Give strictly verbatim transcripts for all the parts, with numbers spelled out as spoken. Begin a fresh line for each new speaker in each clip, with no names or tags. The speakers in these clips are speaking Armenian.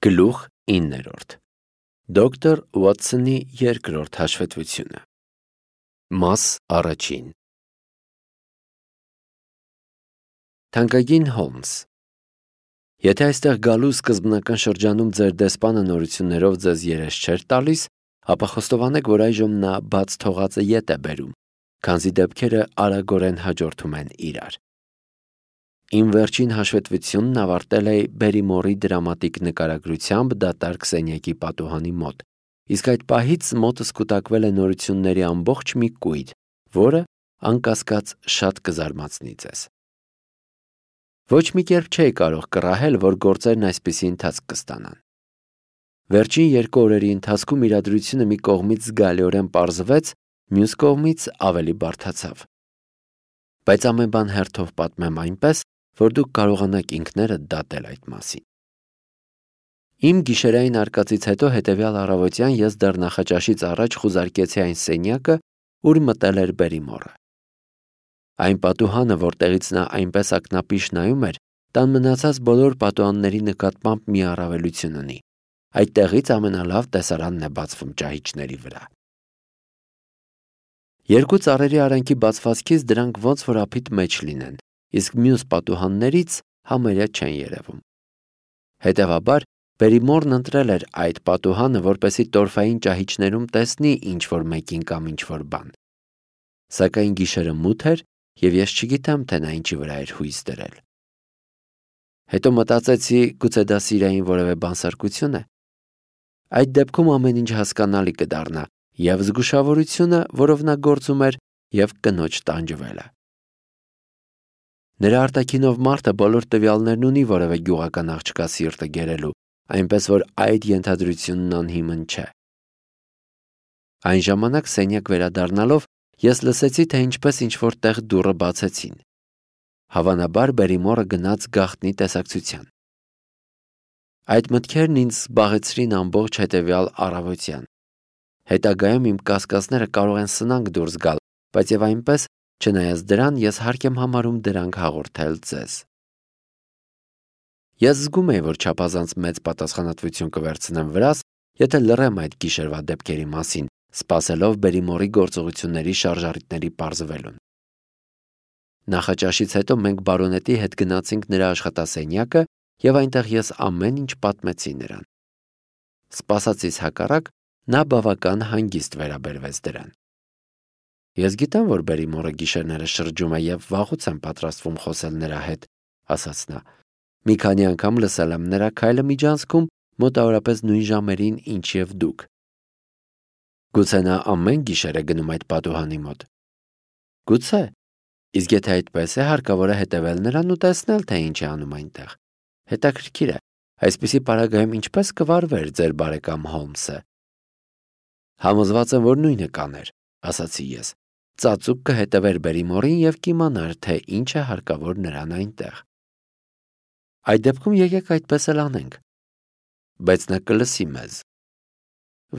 Գլուխ իններորդ Դոկտոր Ուոթսոնի երկրորդ հաշվետվությունը Մաս առաջին Թանկագին Հոլմս, եթե այստեղ գալու սկզբնական շրջանում ձեր դեսպանը նորություններով ձեզ երես չէր տալիս, ապա խոստովանեք, որ այժմ նա բաց թողածը ետ է բերում, քանզի դեպքերը արագորեն հաջորդում են իրար։ Իմ վերջին հաշվետվությունն ավարտել է Բերիմորի դրամատիկ նկարագրությամբ դատարկ սենյակի պատուհանի մոտ, իսկ այդ պահից մոտս կուտակվել է նորությունների ամբողջ մի կույր, որը, անկասկած, շատ կզարմացնի ձեզ։ Ոչ մի կերպ չէի կարող կռահել, որ գործերն այսպիսի ընթացք կստանան։ Վերջին երկու օրերի ընթացքում իրադրությունը մի կողմից զգալիորեն պարզվեց, մյուս կողմից ավելի բարդացավ։ Բայց ամեն բան հերթով պատմեմ այնպես, որ դուք կարողանաք ինքներդ դատել այդ մասին։ Իմ գիշերային արկածից հետո հետևյալ առավոտյան ես դեռ նախաճաշից առաջ խուզարկեցի այն սենյակը, ուր մտել էր Բերիմորը։ Այն պատուհանը, որտեղից նա այնպես ակնապիշ նայում էր, տան մնացած բոլոր պատուհանների նկատմամբ մի առավելություն ունի։ Այդտեղից ամենալավ տեսարանն է բացվում ճահիճների վրա։ Երկու ծառերի արանքի բացվածքից դրանք ոնց որ ափիտ մեջ լինեն, իսկ մյուս պատուհաններից համարյա չեն երևում։ Հետևաբար, Բերիմորն ընտրել էր այդ պատուհանը, որպեսզի տորֆային ճահիճներում տեսնի ինչ-որ մեկին կամ ինչ-որ բան։ Սակայն գիշերը մութ էր, և ես չգիտեմ, թե նա ինչի վրա էր հույս դրել։ Հետո մտածեցի, գուցե դա սիրային որևէ բանսարկություն է։ Այդ դեպքում ամեն ինչ հասկանալի կդառնա, և զգուշավորությունը, որով նա գործում էր, և կնոջ տանջվելը։ Նրա արտաքինով մարդը բոլոր տվյալներն ունի որևէ գյուղական աղջկա սիրտը գերելու, այնպես որ այդ ենթադրությունն անհիմն չէ։ Այն ժամանակ սենյակ վերադառնալով, ես լսեցի, թե ինչպես ինչ-որ տեղ դուռը բացեցին։ Հավանաբար Բերիմորը գնաց գաղտնի տեսակցության։ Այդ մտքերն ինձ զբաղեցրին ամբողջ հետևյալ առավոտյան։ Հետագայում իմ կասկածները կարող են սնանկ դուրս գալ, բայց եւ այնպես, չնայած դրան, ես հարկ եմ համարում դրանք հաղորդել ձեզ։ Ես զգում եի, որ չափազանց մեծ պատասխանատվություն կվերցնեմ վրաս, եթե լռեմ այդ գիշերվա դեպքերի մասին, սպասելով Բերիմորի գործողությունների շարժառիթների պարզվելուն։ Նախաճաշից հետո մենք բարոնետի հետ գնացինք նրա աշխատասենյակը, եւ այնտեղ ես ամեն ինչ պատմեցի նրան։ Սպասածից հակառակ, նա բավական հանգիստ վերաբերվեց դրան։ Ես գիտեմ, որ Բերիմորը գիշերները շրջում է եւ վաղուց եմ պատրաստվում խոսել նրա հետ, ասաց նա։ Մի քանի անգամ լսել եմ նրա քայլը միջանցքում, մոտավորապես նույն ժամերին, ինչ եւ դուք։ Գուցե նա ամեն գիշեր է գնում այդ պատուհանի մոտ։ Գուցե, իսկ եթե այդպես է, հարկավոր է հետևել նրան ու տեսնել, թե ինչ է անում այնտեղ։ Հետաքրքիր է, այսպիսի պարագայում ինչպես կվարվեր ձեր բարեկամ Հոլմսը։ Համոզված եմ, որ նույնը կաներ, ասացի ես։ Ծածուկ կհետևեր Բերիմորին եւ կիմանար, թե ինչ է հարկավոր նրան այնտեղ։ Այդ դեպքում եկեք այդպես էլ անենք։ Բայց նա կլսի մեզ։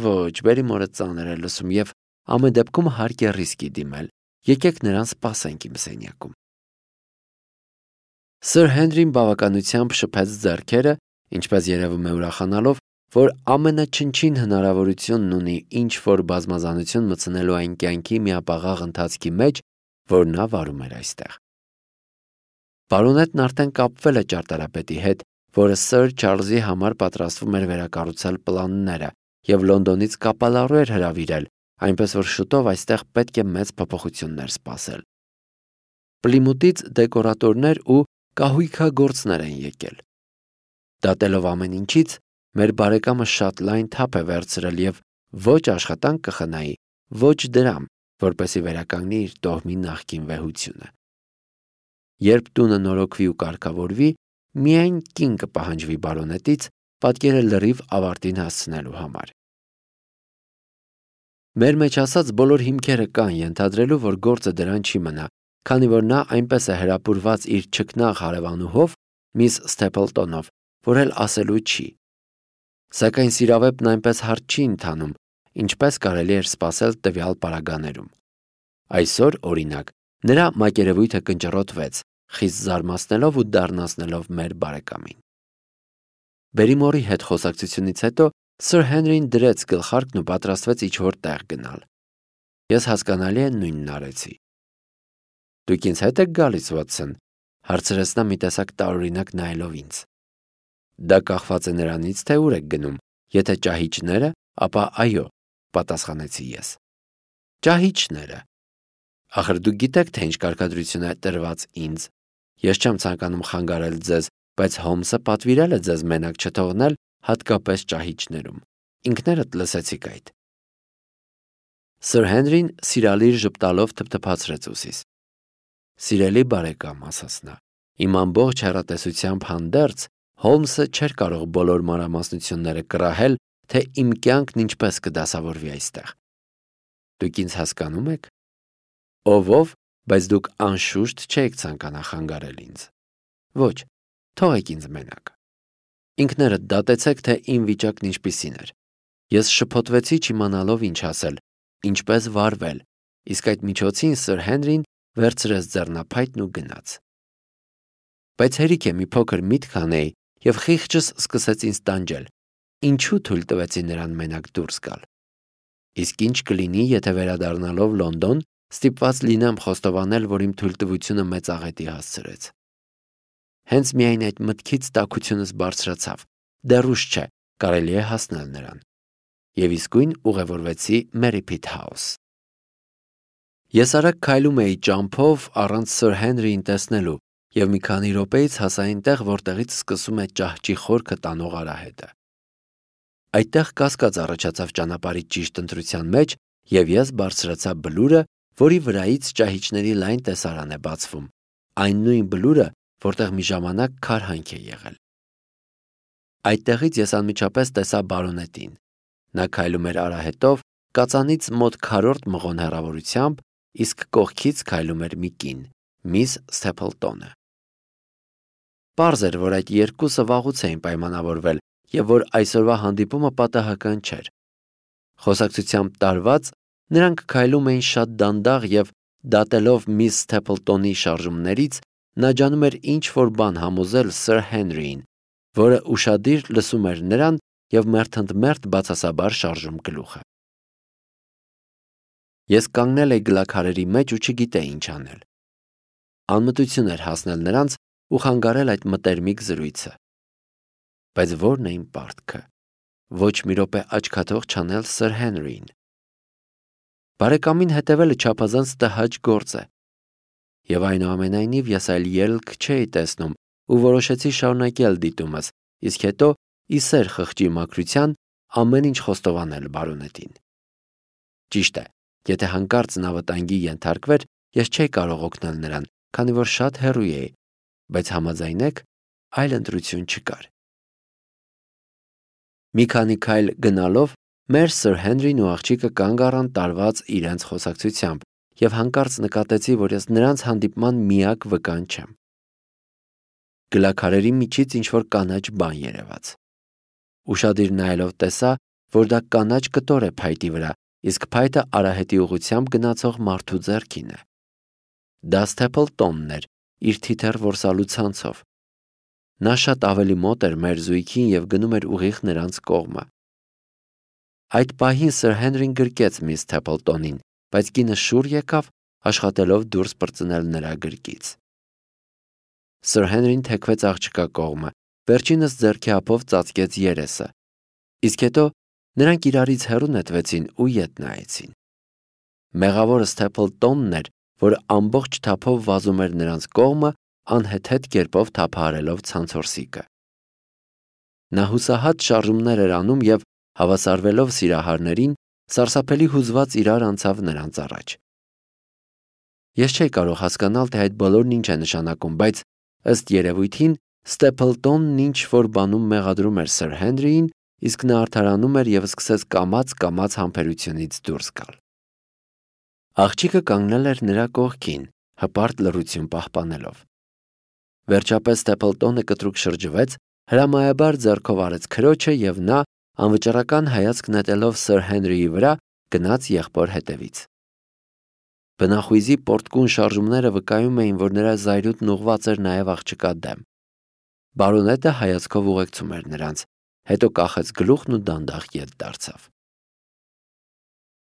Ոչ, Բերիմորը ծանր է լսում եւ ամեն դեպքում հարկ է ռիսկի դիմել։ Եկեք նրան սպասենք իմ սենյակում։ Սըր Հենրին բավականությամբ շփեց ձեռքերը, ինչպես երևում է ուրախանալով, որ ամենաչնչին հնարավորությունն ունի ինչ-որ բազմազանություն մտցնելու այն կյանքի միապաղաղ ընթացքի մեջ, որ նա վարում էր այստեղ։ Բարոնետն արդեն կապվել է ճարտարապետի հետ, որը Սըր Չարլզի համար պատրաստվում էր վերակառուցել պլանները եւ Լոնդոնից կապալառու էր հրավիրել, այնպես որ շուտով այստեղ պետք է մեծ փոփոխություններ սպասել։ Պլիմութից դեկորատորներ ու կահույքագործներ են եկել։ Դատելով ամեն ինչից, մեր բարեկամը շատ լայն թափ է վերցրել եւ ոչ աշխատանք կխնայի, ոչ դրամ, որպեսի վերականգնի իր տոհմի նախկին վեհությունը։ Երբ տունը նորոգվի ու կարգավորվի, միայն կին կպահանջվի բարոնետից պատկերը լրիվ ավարտին հասցնելու համար։ Մեր մեջ ասած բոլոր հիմքերը կան ենթադրելու, որ գործը դրան չի մնա, քանի որ նա այնպես է հրապուրված իր չքնաղ հարևանուհով, միս Սթեփլտոնով, որ էլ ասելու չի։ Սակայն սիրավեպն այնպես հարթ չի ընթանում, ինչպես կարելի էր սպասել տվյալ պարագաներում։ Այսօր, օրինակ, նրա մակերևույթը կնճռոտվեց, խիստ զարմացնելով ու դառնացնելով մեր բարեկամին։ Բերիմորի հետ խոսակցությունից հետո Սր Հենրին դրեց գլխարկն ու պատրաստվեց ինչ-որ տեղ գնալ։ Ես հասկանալի է նույնն արեցի։ Դուք ինձ հետ եք գալիս, Վոտսոն, հարցրեց նա մի տեսակ տարօրինակ նայելով ինձ։ Դա կախված է նրանից, թե ուր եք գնում, եթե ճահիճները, ապա այո, պատասխանեցի ես։ Ճահիճները։ Ախր դուք գիտեք, թե ինչ կարգադրություն է տրված ինձ։ Ես չեմ ցանկանում խանգարել ձեզ, բայց Հոլմսը պատվիրել է ձեզ մենակ չթողնել, հատկապես ճահիճներում։ Ինքներդ լսեցիք այդ։ Սր Հենրին սիրալիր ժպտալով թփթփացրեց ուսիս։ Սիրելի բարեկամ, ասաց նա, իմ ամբողջ հեռատեսությամբ հանդերձ Հոլմսը չէր կարող բոլոր մանրամասնությունները կռահել, թե իմ կյանքն ինչպես կդասավորվի այստեղ։ Դուք ինձ հասկանում եք։ Ով-ով, բայց դուք անշուշտ չեք ցանկանա խանգարել ինձ։ Ոչ, թողեք ինձ մենակ։ Ինքներդ դատեցեք, թե իմ վիճակն ինչպիսին էր։ Ես շփոթվեցի չիմանալով ինչ ասել, ինչպես վարվել, իսկ այդ միջոցին Սր Հենրին վերցրեց ձեռնափայտն ու գնաց։ Բայց հերիք է մի փոքր միտք անեի, եւ խիղճս սկսեց ինձ տանջել։ Ինչու թույլ տվեցի նրան մենակ դուրս գալ։ Իսկ ինչ կլինի, եթե վերադառնալով Լոնդոն ստիպված լինեմ խոստովանել, որ իմ թույլտվությունը մեծ աղետի հասցրեց։ Հենց միայն այդ մտքից տաքությունս բարձրացավ։ Դեռ ուշ չէ, կարելի է հասնել նրան։ Եվ իսկույն ուղևորվեցի Մերիփիթ House։ Ես արագ քայլում էի ճամփով առանց Սր Հենրիին տեսնելու եւ մի քանի րոպեից հասա այնտեղ, որտեղից սկսում է ճահճի խորքը տանող արահետը։ Այդտեղ կասկած առաջացավ ճանապարհի ճիշտ ընտրության մեջ եւ ես բարձրացա բլուրը, որի վրայից ճահիճների լայն տեսարան է բացվում, այն նույն բլուրը, որտեղ մի ժամանակ քարհանք է եղել։ Այդտեղից ես անմիջապես տեսա բարոնետին։ Նա քայլում էր արահետով, կածանից մոտ քառորդ մղոն հեռավորությամբ, իսկ կողքից քայլում էր մի կին, միս Սթեփլտոնը։ Պարզ էր, որ այդ երկուսը վաղուց էին պայմանավորվել եւ որ այսօրվա հանդիպումը պատահական չէր։ Խոսակցությամբ տարված նրանք քայլում էին շատ դանդաղ եւ դատելով միս Սթեփլտոնի շարժումներից նա ջանում էր ինչ-որ բան համոզել Սր Հենրիին, որը ուշադիր լսում էր նրան եւ մերթընդմերթ բացասաբար շարժում գլուխը։ Ես կանգնել էի գլաքարերի մեջ ու չգիտեի ինչ անել։ Անմտություն էր հասնել նրանց ու խանգարել այդ մտերմիկ զրույցը։ Բայց ո՞րն է իմ պարտքը։ Ոչ մի րոպե աչքաթող չանել Սր Հենրիին։ Բարեկամին հետևելը չափազանց տհաճ գործ է։ Եվ այնուամենայնիվ ես այլ ելք չէի տեսնում ու որոշեցի շարունակել դիտումս, իսկ հետո ի սեր խղճի մաքրության ամեն ինչ խոստովանել բարոնետին։ Ճիշտ է, եթե հանկարծ նա վտանգի ենթարկվեր, ես չէի կարող օգնել նրան, քանի որ շատ հեռու էի, բայց համաձայնեք, այլ ընտրություն չկար։ Մի քանի քայլ գնալով մեր Սր Հենրին ու աղջիկը կանգ առան տարված իրենց խոսակցությամբ եւ հանկարծ նկատեցի, որ ես նրանց հանդիպման միակ վկան չեմ։ Գլաքարերի միջից ինչ-որ կանաչ բան երևաց։ Ուշադիր նայելով տեսա, որ դա կանաչ կտոր է փայտի վրա, իսկ փայտը արահետի ուղությամբ գնացող մարդու ձեռքին է։ Դա Սթեփլտոնն էր, իր թիթեռ որսալու ցանցով։ Նա շատ ավելի մոտ էր մեր զույգին եւ գնում էր ուղիղ նրանց կողմը։ Այդ պահին Սր Հենրին գրկեց միս Սթեփլտոնին, բայց կինը շուռ եկավ, աշխատելով դուրս պրծնել նրա գրկից։ Սր Հենրին թեքվեց աղջկա կողմը, վերջինս ձեռքի ափով ծածկեց երեսը, իսկ հետո նրանք իրարից հեռու նետվեցին ու ետ նայեցին։ Մեղավորը Սթեփլտոնն էր, որ ամբողջ թափով վազում էր նրանց կողմը, անհեթեթ կերպով թափահարելով ցանցորսիկը։ Նա հուսահատ շարժումներ էր անում եւ հավասարվելով սիրահարներին, սարսափելի հուզված իրար անցավ նրանց առաջ։ Ես չէի կարող հասկանալ, թե այդ բոլորն ինչ է նշանակում, բայց ըստ երևույթին Ստեփլտոնն ինչ որ բանում մեղադրում էր Սր Հենրիին, իսկ նա արդարանում էր եւ սկսեց կամաց-կամաց համբերությունից դուրս գալ։ Աղջիկը կանգնել էր նրա կողքին, հպարտ լռություն պահպանելով։ Վերջապես Ստեփլտոնը կտրուկ շրջվեց, հրամայաբար ձեռքով արեց քրոջը եւ նա, անվճռական հայացք նետելով Սր Հենրիի վրա, գնաց եղբոր հետևից։ Բնախույզի պորտկուն շարժումները վկայում էին, որ նրա զայրույթն ուղղված էր նաեւ աղջկա դեմ։ Բարոնետը հայացքով ուղեկցում էր նրանց, հետո կախեց գլուխն ու դանդաղ ետ դարձավ։